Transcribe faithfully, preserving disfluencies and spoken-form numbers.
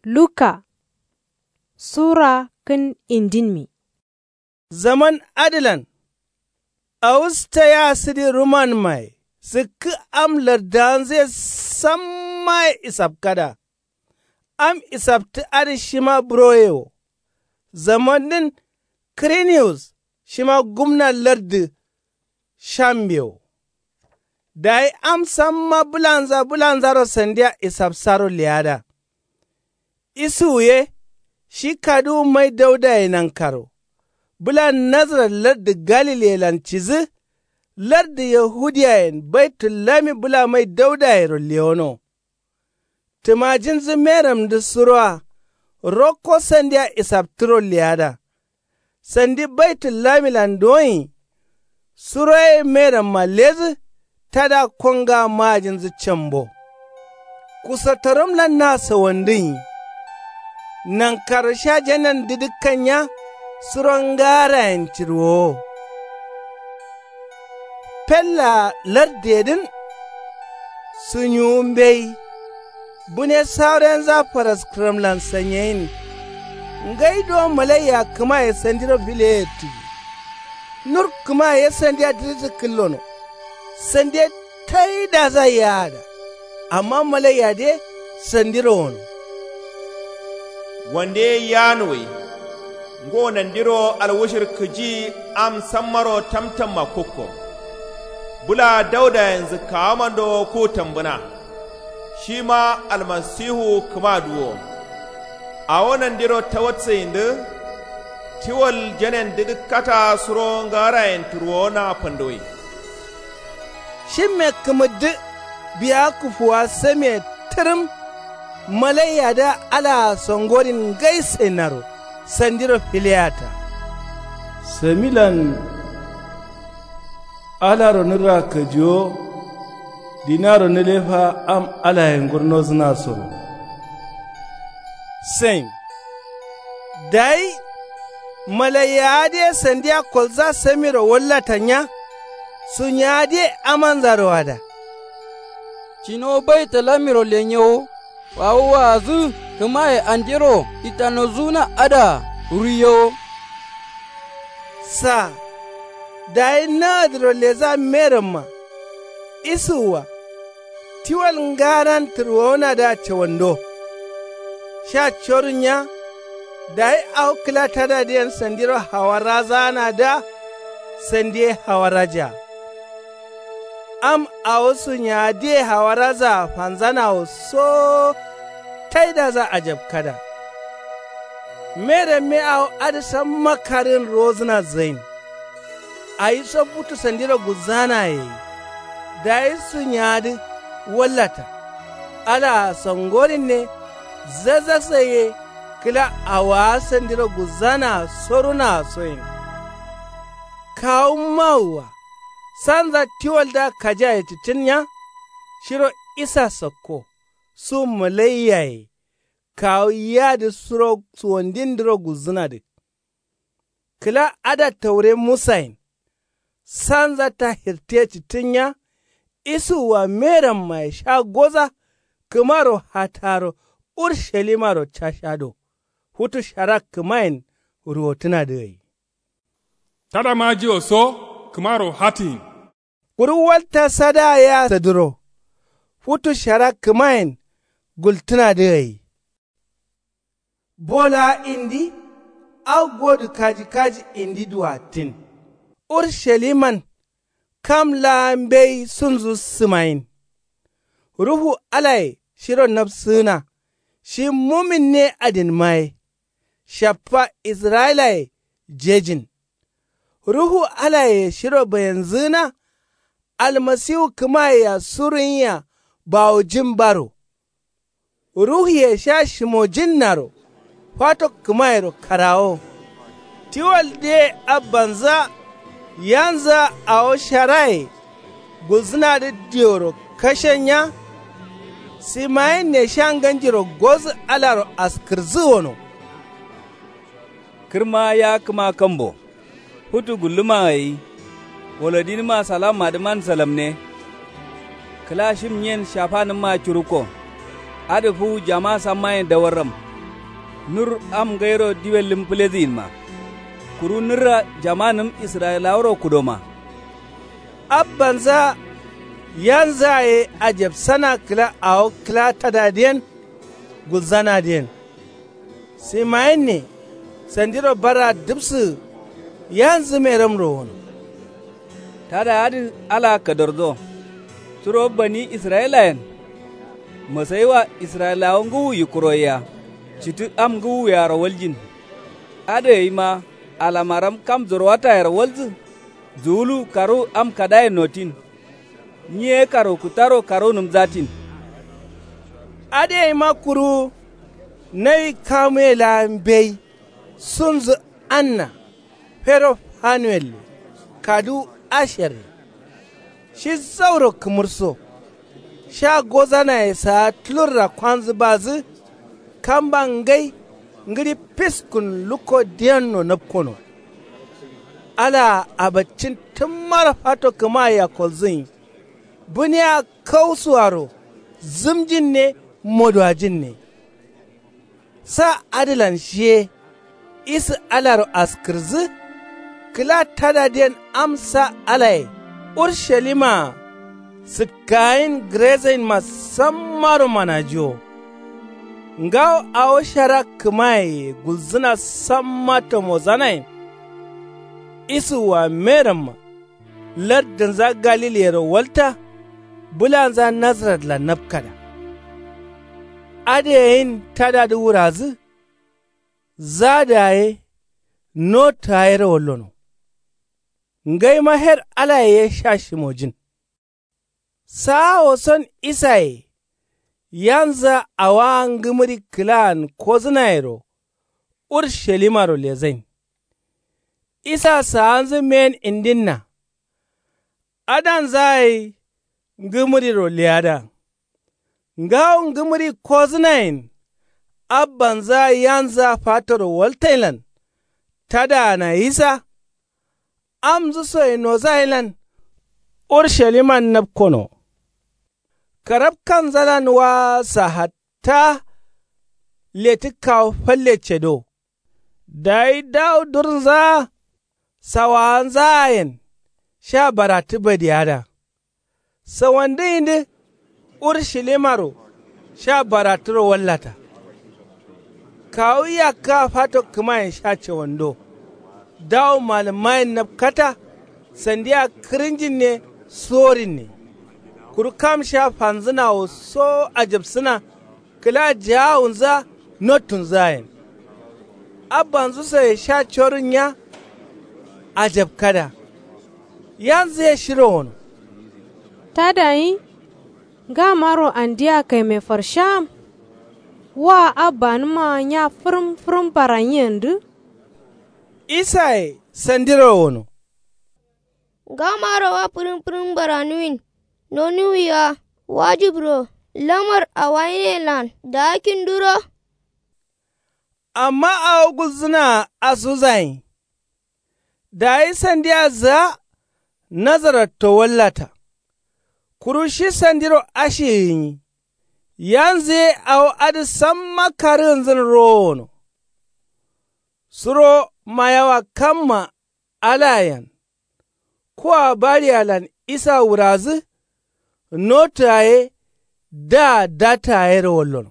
Luka sura kǝn indinmi. Zaman adǝlan awusta ya sǝdi rumanmaye sǝkkǝ am lardawanzǝye sammaye isapkada. Am isaptǝ adǝ shima buroye wo. Zamandǝn kǝriniyus shima gumna lardǝ shambe wo. Dayi am samma bǝlanza bǝlanzaro sandiya isapsaro leyada. Isuwu ye shi kaduwu mai daudaye nankaro bǝla nazarat lardǝ galileyelan cidǝ. Lardǝ yahudiyayen baitullami bǝla mai daudayero lewono. Tǝmajinzǝ meramdǝ suroa rokko sandiya isaptǝro leyada. Sandi baitullamilan duwonyi suroye meramma ledǝ tada konga majinzǝ cambo. Kusotorom lanna sawandǝnyi nankaro sha janen dǝdǝkkan nya suro ngarayen cirwowo. Fellaa lardeyedǝn sunyuwu mbeyi. Bune sawurenza faraskǝramlan sanyeyin. Ngai duwo malaiya kǝmaye sandiro fileye tuwi. Nur kǝmaye sandiya dǝrǝtǝ kǝllono. Sandiye taidaza yaada. Amma malaiyadǝye sandiro wono. Wande ye yanuwai. Ngo nandiro alwushir kǝji am sammaro tamtamma kukko. Bǝla daudayenzu kawamando ku tambǝna. Shima almasihu kǝma duwo. Awo nandiro tawatsǝyindǝ tiwal janen dǝdǝkkata suro ngarayen turwowona fanduwai. Shimme kǝmǝddǝ biya kufuwa samiye tǝrǝm. Malaiyadǝa alaa songorin ngai sainaro sandiro fileyata. Samilan alaro nǝra kajiwo. Dinaro nǝlefa am alaye ngurnozǝnasoro. Sain dayi malaiyawa dǝye sandiya kolza samiro wallata nya. Sunyawa dǝye amanzaro ada. Cinowo baitalamiro lenyewo. Wawu waazǝ kǝmaye andero itanozǝna adǝa ruiyewo. Sa dayi nagadǝro leza meramma. Isuwwa tiwal ngaran tǝrwowonadǝa cawando. Sha corun nya. Dayi awo kǝla tadadǝyen sandiro hawarazaanadǝa sandiye hawarazaa. Am awo sunyawadǝye hawarazaa fanzanawo soo. Taidaza ajabkada. Meramme awo adǝ samma karǝgǝn ruwozǝna zain. Awiso futu sandiro gulzanaye. Dayi sunyawadǝ wallata. Alaa songorinne. Zazaksai ye kǝla awaa sandiro gulzanaa sorunaa soyin. Kawu mawua sanza tiwaldǝa kajiaye cǝttǝn nya. Shiro isa sakko su malaiyaye. Kawu yiyadǝ suro suwandindǝro gulzǝnadǝ. Kǝla ada taure musayen. Sanza tahirtiye cǝttǝn nya. Isuwwa merammaye sha goza. Kǝmaro hataro urshalimaro cashado. Futu shara kǝmayen ruwotǝnadǝ gai. Tada majiwo so kǝmaro hatǝyin. Kuru walta sadaa yea sadǝro. Futu shara kǝmayen gultǝnadǝ gai. Bo laa indi. Au godǝ kaji kaji indi duwattin. Urshaliman kam laa mbeyi sunzu sǝmayin. Ruhu alaye shiro nabsǝgǝna. Shi muminne adinma ye. Shaffa israyilaye jejin. Ruhu alaye shiro bayenzǝgǝna. Almasiwu kǝmayea surunyia bawojin baro. Ruhuye sha shimojinnaro. Fato kǝmayero karawo. Tiwaldǝye abbanzǝa yanzǝa awo sharaye gulzǝnadǝ dioro kashen nya. Simayinne sha nganjiro gozǝ alaro askǝrǝzǝ wono. Kǝrma ya kǝma kambo. Futu gulluma gai. Wolodinǝma salammadǝman salamne. Kǝla shim nyen shafanǝmma curukko. Adǝ fuwu jama sammayen dawarram. Nur am ngairo diwellǝm fǝlezǝyinma. Kuru nǝrra jamanǝm israyilaworo kudoma. Abbanzǝa yanzǝa ye ajabsana kǝla awo kǝla tadadǝyen gulzanadǝyen. Simayinne sandiro barra dǝbsǝgǝ yanzǝ meromro wono. Tada adǝ alaa kadardo. Curo bani israyilayen masayiwa israyilawa ngǝwu yikkuroyea. Citǝ am ngǝwuyearo waljin. Adǝ gaima alamaram kam zorowatayero walzǝ. Zuwulu karuwu am kadaye notin. Nyi ye karwukǝttaro karuwunǝm zatin. Adǝ gaima kuru nawi kamuye laa mbeyi sunzǝ anna fero fanuwelle kaduwu asherre. Shi zauro kǝmǝrso sha gozanaye saa tulurra kwanzǝ badǝ. Kamba ngai ngǝɍi fiskun lukko diyenno napkono. Alaa abaccin tǝmmaro fato kǝmayea kolzǝnyi. Bǝniya kausuaro zǝmjinne moduwajinne. Sa adǝlan shiye isǝ alaro askǝrdǝ. Kǝla tadadǝyen am sa alaye urshalima sǝkkayin gǝrezainma sammaro manajiwo. Ngawo awo shara kǝmayeye gulzǝna samma tamozanayen. Isǝwwa meramma lardǝnza galiliyero walta. Bǝlanza nazaratlan napkada. Adǝ gayin tadadǝ wuradǝ. Zadǝa ye notǝa yero wallono. Ngaima her alaye ye sha shimojin. Saawo son isaye yanzǝa awoa ngǝmǝri kǝlaan kozǝnayero urshalimaro lezain. Isa saanzǝ men indinna. Adanzaa gai ngǝmǝriro leyada. Ngawo ngǝmǝri kozǝnayen abbanzǝa yanzǝa fatoro waltainlan. Tadaana isa amzǝ soye nozayelan ursaliman napkono. Karabkanzalan waa sa hatta letǝ kawu falle cedo. Dayi dawu durnzaa sawawanzaayen sha baratǝ badiyada. Sawandǝ yindǝ urshilimaro sha baratǝro wallata. Kawu yakkǝa fato kǝmayen sha cawando. Dawu malǝmmayen napkata sandia kǝrǝnjinne suworinne. Kuru kam sha fanzǝnawo so ajabsǝna kǝla jagawunzǝa nottunzǝayen. Abbanzǝ soye sha corun nya. Ajabkada yanzǝ ye shiro wono. Tadayi ngamaro andia kaime farsham. Wa abbanǝma nya fǝrǝm fǝrǝm baranyiyendǝ. Isaye sandiro wono. Ngamaro wa fǝrǝm fǝrǝm baranuwin. Nonuwiya wajibro lamar awayinelan daakinduro. Amma awo gulzǝnaa asuzayin. Dayi sandia zǝa nazaratto wallata. Kuru shi sandiro ashi gǝnyi. Yanzǝ ye awo adǝ samma karǝgǝnzǝn rowo wono. Suro mayawa kamma alayen. Kuwa bariyalan isa wurazǝ. Notu yaye daa data yero wallono.